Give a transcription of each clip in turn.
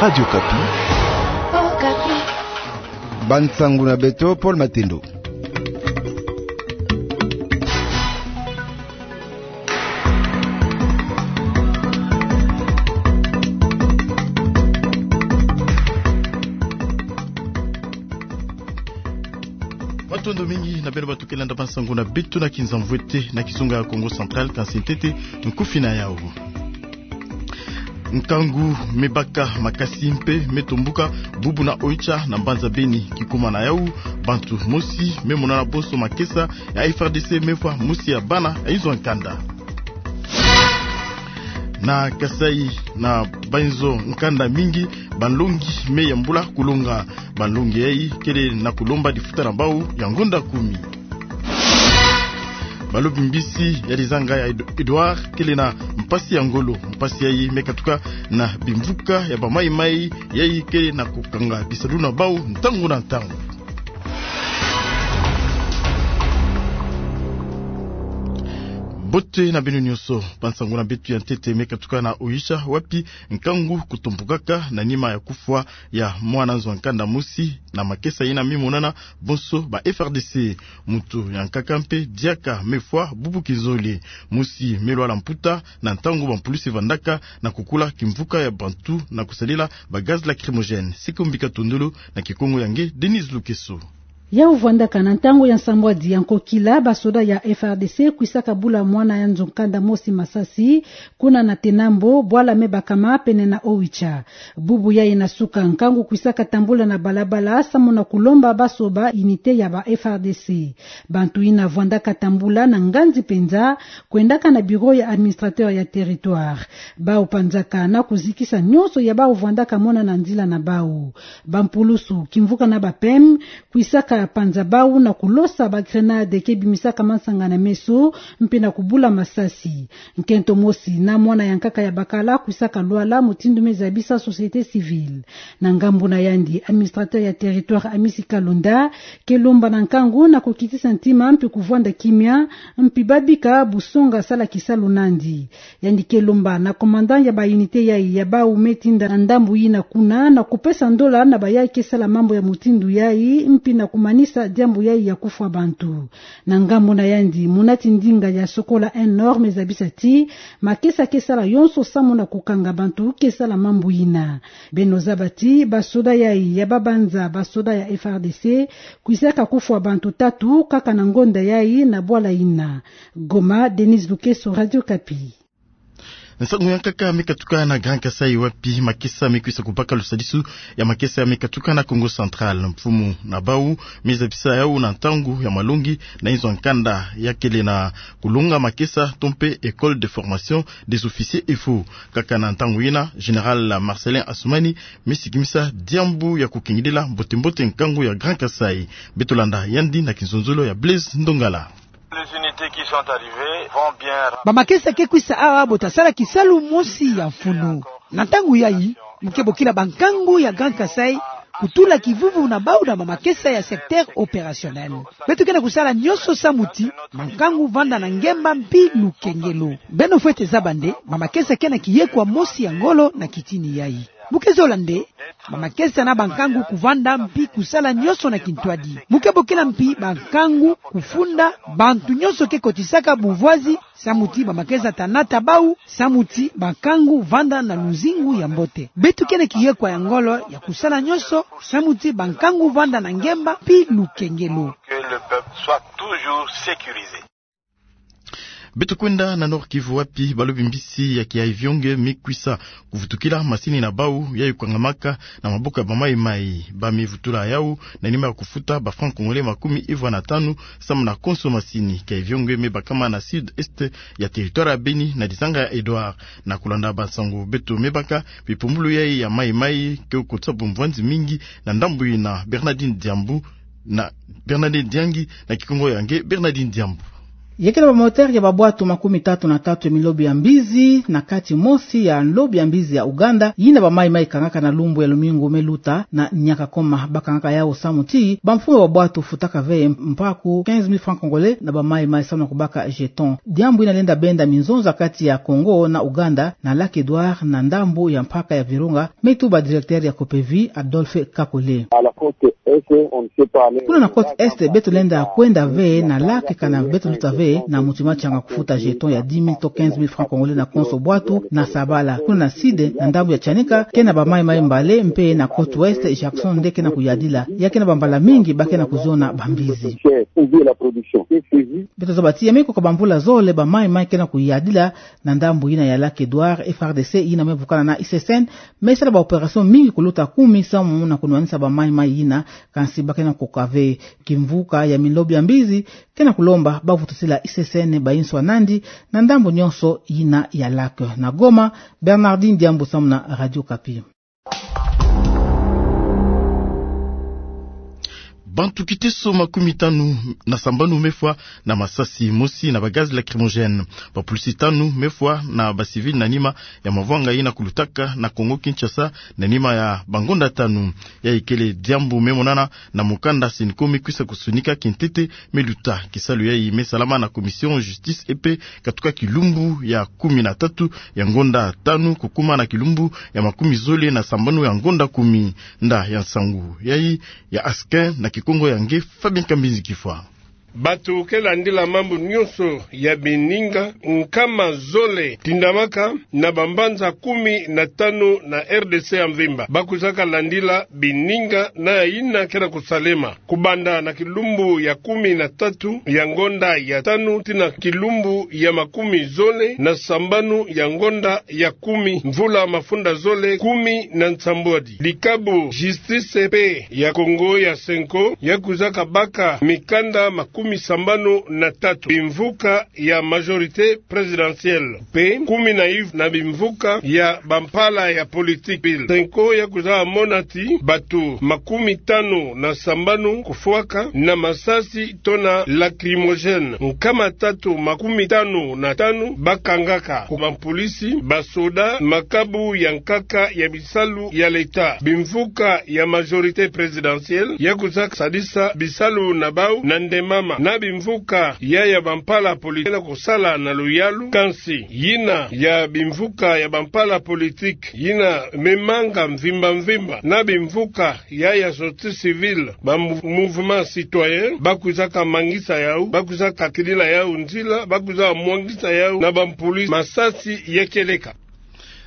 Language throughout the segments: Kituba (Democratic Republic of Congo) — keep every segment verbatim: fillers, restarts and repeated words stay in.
Radio Okapi. Okapi. Bansangu na beto, Paul Matendo. Matondo mingi na beno bato ke landa bansangu na beto na kinzamvwete na kizunga ya Kongo Central, kansi ntete nkufi na yau. Nkangu me baka makasi mpe me tombuka bubu na Oicha na mbanza Beni. Kikuma na yau, bantu mosi me monana bonso makesa ya F R D C me fwa mosi ya bana ya inzo ya nkanda. Na Kasaï, na bainzo nkanda mingi, banlongi me yambula kulonga. Banlongi yai kele na kulomba difuta na bau ya ngonda kumi. Balobi mbisi ya lizanga ya Ed-, Edouard kele na mpasi ya ngolo. Mpasi yai me katuka na bimvuka ya bamaimai yai kele na kukanga bisalu na bau ntangu na ntangu. Mbote na beno nyonso, bansangu na beto ya ntete me katuka na Oicha, wapi nkangu kutombukaka na nima ya kufwa ya mwana nzo ya nkanda mosi na makesa yina me monana bonso ba F R D C. Moto ya nkaka mpe diaka me fwa bubu kizole. Mosi me lwala mputa na ntangu bampulusi vandaka na kukula kimvuka ya bantu na kusadila ba gaz lacrymogène. Sikombika Tondolo na kikongo ya nge Denise Lukeso. Yau vandaka na ntangu ya nsambwadi ya nkokila, basoda ya F R D C kwisaka bula mwana ya nzo nkanda mosi masasi, kuna na Tenambo, bwala me bakama pene na Oicha. Bubu yai na suka, nkangu kwisaka tambula na balabala, samu na kulomba basoba unité ya ba F R D C. Bantu yina vandaka tambula na nganzi mpenza, kwendaka na bureau ya administrateur ya territoire. Bau panzaka na kuzikisa nyonso ya bau vandaka mona na nzila na bau. Bampulusu, kimvuka na ba P M, kwisaka panza bau na kulosa ba grenade ke bimisaka mansanga na meso, mpe na kubula masasi. Nkento mosi na mwana ya nkaka ya bakala kwisaka lwala, mutindu me zabisa société civile. Na ngambu na yandi, administrateur ya territoire Amisi Kalonda ke lomba na nkangu na kukitisa ntima mpe kuvwanda kimia, mpe babika busonga sala kisalu nandi. Yandi ke lomba na commandant ya ba unité yai ya bau me tinda na ndambu yina kuna na kupesa ndola na bayai ke sala mambu ya mutindu yai, mpe na kumanisa diambu yai ya kufwa bantu. Na ngambu na yandi, munati ndinga ya Sokola un Nord me zabisa ti makesa ke sala yonso samu na kukanga bantu ke sala mambu yina. Beno zaba ti basoda yai ya babanza basoda ya F R D C kwisaka kufwa bantu tatu kaka na ngonda yai na bwala yina. Goma, Denise Lukeso, Radio Okapi. Nsangu ya nkaka me katuka na Grand Kasaï, wapi makesa me kwisa kubaka lusadisu ya makesa me katuka na Kongo Central. Mfumu na bau me zabisa yau na ntangu ya malongi na inzo ya nkanda ya kele na kulonga makesa to mpe École de formation des officiers, EFO. Kaka na ntangu yina, Général Marcelin Assoumani me sikimisa diambu ya kukengidila mbote-mbote nkangu ya Grand Kasaï. Beto landa yandi na kinzonzolo ya Blaise Ndongala. Les unités qui sont arrivées vont bien. Bamakesa ke kwisa awa, bota sala kisalu mosi ya mfunu. Na ntangu yai, mu ke bokila bankangu ya Grand Kasaï kutula kivuvu na bau na bamakesa ya secteur opérationnel. Beto ke na kusala nyonso samu ti bankangu vanda na ngemba mpi lukengelo. Beno fwete zaba nde, bamakesa ke na kiyekwa mosi ya ngolo na kitini yai. Mu ke zola nde, bamakesa na bankangu kuvanda mpi kusala nyonso na kintwadi. Mu ke bokila mpi bankangu kufunda bantu nyonso ke kotisaka buvwazi, samu ti bamakesa ta nata bau, samu ti bankangu vanda na luzingu ya mbote. Beto ke na kiyekwa ya ngolo ya kusala nyonso, samu ti bankangu vanda na ngemba mpi lukengelo. Que le peuple soit toujours sécurisé. Beto kwenda na Nord-Kivu, wapi balobi mbisi ya kiavion me kwisa kuvutukila masini na bau yai kukangamaka na maboko ya bamaimai. Ba me vutula yau na nima ya kufuta ba francs congolais makumi ivwa na tanu samu na konso masini. Kiavion me bakama na sud-est ya territoire ya Beni na lizanga ya Édouard. Na kulanda bansangu beto me baka, bipumbulu yai ya maimai ke kotisa bumvwanzi mingi na ndambu yina. Bernardine Diambu na Bernardine Diangi na kikongo ya nge Bernardine Diambu. Ya ke na bamoteur ya babwatu makumi tatu na tatu ya minlobi ya mbizi na kati mosi ya nlobi ya mbizi ya Uganda, yina bamayi-mayi kangaka na lumbu ya lumingu me luta na Nyakakoma. Bakangaka yawu samu ti bamfumu ya babwatu futaka ve mpaku quinze mille francs congolais na bamayi-mayi samu na kubaka jeton. Diambu yina lenda benda minzonza kati ya Congo na Uganda, na Lac Edouard, na ndambu ya mpaka ya Virunga, me tuba directeur ya COPEVI, Adolphe Kakole. Kuna na côte est, beto lenda kwenda ve na lac kana beto luta ve na mutu matianga kufuta jeton ya dix mille to quinze mille francs congolais na konso bwatu na Sabala. Kuna na sud, na ndambu ya Tianika, ke na bamayi-mayi mbale, mpe na côte ouest, Jackson nde ke na kuyadila. Ya ke na bambala mingi ba ke na kuziona bambizi. Beto zaba ti ya me koka bamvula zole bamayi-mayi ke na kuyadila na ndambu yina ya Lac Edouard. FARDC yina me vukana na ICCN me sala baopération mingi kuluta kumi samu na kunwanisa bamayi-mayi yina, kansi ba ke na koka ve. Kimvuka ya minlobi ya mbizi ke na kulomba bavutusila ICCN bayinswa nandi na ndambu nyonso yina ya lac. Na Goma, Bernardine Diambu samu na Radio Okapi. Bantu kiteso makumi tanu na sambanu me fwa na masasi mosi na bagaz lacrymogène. Bapulisi tanu me fwa na bacivil na nima ya mavwanga yina kulutaka na Congo-Kinshasa na nima ya bangonda tanu. Yayi kele diambu me monana na mukanda Cenco me kwisa kusonika kintete me luta. Kisalu yayi me salama na Commission Justice mpe katuka kilumbu ya kumi na tatu ya ngonda tanu kukuma na kilumbu ya makumi zole na sambanu ya ngonda kumi. Nda ya nsangu yayi ya Askin na Kikongo ya nge Fabien Kambinzi Kifwa. Bato ke landila mambu nyonso ya bininga nkama zole tindamaka na bambanza kumi na tanu na R D C ya mvimba. Ba kwizaka landila bininga na yina ke na kusalema. Kubanda na kilumbu ya kumi na tatu ya ngonda ya tanu tii na kilumbu ya makumi zole na sambanu ya ngonda ya kumi, mvula mafunda zole kumi na nsambwadi. Likabo Justice mpe ya Congo ya Cenco ya kwizaka baka mikanda makumi sambanu na tatu bimvuka ya majorité présidentielle mpe kumi na iv na bimvuka ya bampala ya politique. Cenco ya kwiza mona ti bato makumi tanu na sambanu kufwaka na masasi to na lacrymogène, nkama tatu makumi tanu na tanu bakangaka ku bampolisi, basoda, makabu ya nkaka ya bisalu ya leta. Bimvuka ya majorité présidentielle ya kwiza sadisa bisalu na bau na ndemama na bimvuka ya ya bampala politique na kusala na luyalu, kansi yina ya bimvuka ya bampala politique yina me manga mvimba mvimba na bimvuka ya ya société civile, ba mou-, mouvement citoyen, ba kwizaka mangisa yau, ba kwizaka kilila yau nzila, ba kwizaka mwangisa yau na bampolisi. Masasi ya kieleka.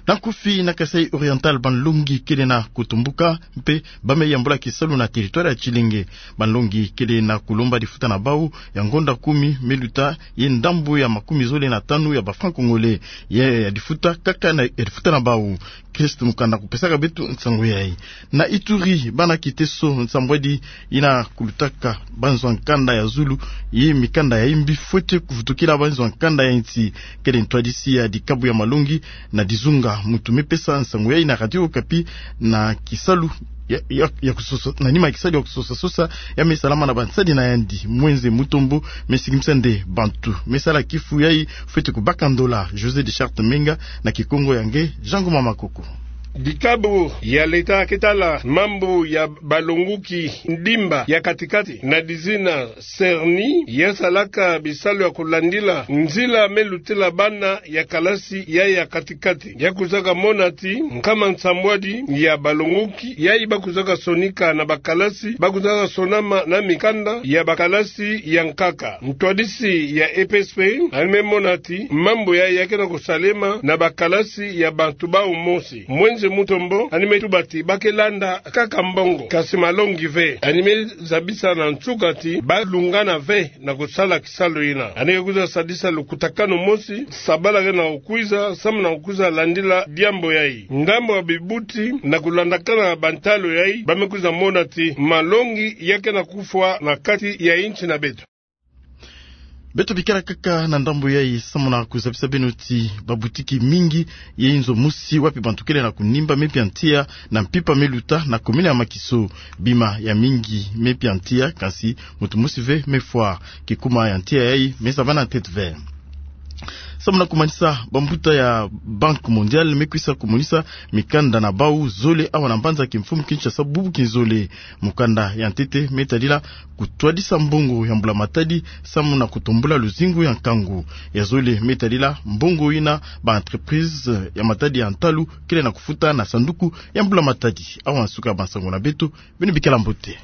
Na nkufi, na Kasaï Oriental, banlongi kele na kutumbuka mpe ba me yambula kisalu na territoire ya Tshilenge. Banlongi kele na kulomba difuta na bau ya ngonda kumi me luta, ye ndambu ya makumi zole na tanu ya ba francs congolais ya, ya difuta kaka na, ya difuta na bau. Christ Mukanda kupesaka beto nsangu yayi. Na Ituri, bana kiteso nsambwadi yina kulutaka banzwa nkanda ya zulu ye mikanda ya imbi fwete kuvutukila banzwa nkanda ya insi. Kele ntwadisi ya dikabu ya malongi na dizunga. Muntu me pesa nsangu yayi na Radio Okapi na kisalu ya, ya, ya kusosa, na nima ya kisalu ya kusosa sosa ya me salama na bansadi na yandi. Mwenze Mutombo me sikimisa nde bantu me sala kifu yayi fwete kubaka ndola. José de Charte Menga na Kikongo ya nge Jean Ngoma Makoko. Dikabu ya leta ke tala mambu ya balonguki ndimba ya katikati na dizina CERNI ya salaka bisalu ya kulandila nzila me lutila bana ya kalasi ya, ya katikati. Ya kwizaka mona ti nkama nsambwadi ya balonguki yayi ba kwizaka sonika na bakalasi, ba kwizaka sonama na mikanda ya bakalasi ya nkaka. Ntwadisi ya E P S P ani me mona ti mambu yayi ya ke na kusalema na bakalasi ya bantu bau mosi. Mwenze Mutombo ani me tuba ti ba ke landa kaka mbongo, kasi malongi ve. Ani me zabisa na nsuka ti ba lungana ve na kusala kisalu yina. Ani ke kwiza sadisa lukutakanu mosi, sabala ke na kukwiza, samu na kukwiza landila diambu yayi. Ngambu ya bibuti na kulandakana na bantalu yayi, ba me kwiza mona ti malongi ya ke na kufwa na kati ya insi na beto. Beto bikala kaka na ndambo yayi, samu na kuzabisa beno ti babutiki mingi ya inzo mosi wapi bantu kele na kunimba mepia ntia na mpimpa meluta na komine ya Makiso. Bima ya mingi mepia ntia, kansi muntu mosi ve mefwa. Kikuma ya ntia yayi mezabana ntete ve. Samu na kumanisa, bambuta ya Banque Mondiale mekwisa kumonisa mikanda na bau zole awa na mbanza kimfumu Kinshasa bubu kinzole. Mukanda ya ntete metadila kutwadisa mbongo ya mbula matadi samu na kutombula luzingu ya nkangu. Ya zole metadila mbongo yina ba entreprise ya matadi ya ntalu kele na kufuta na sanduku ya mbula matadi. Awa nsuka ya bansango na beto. Beno bikala mbote.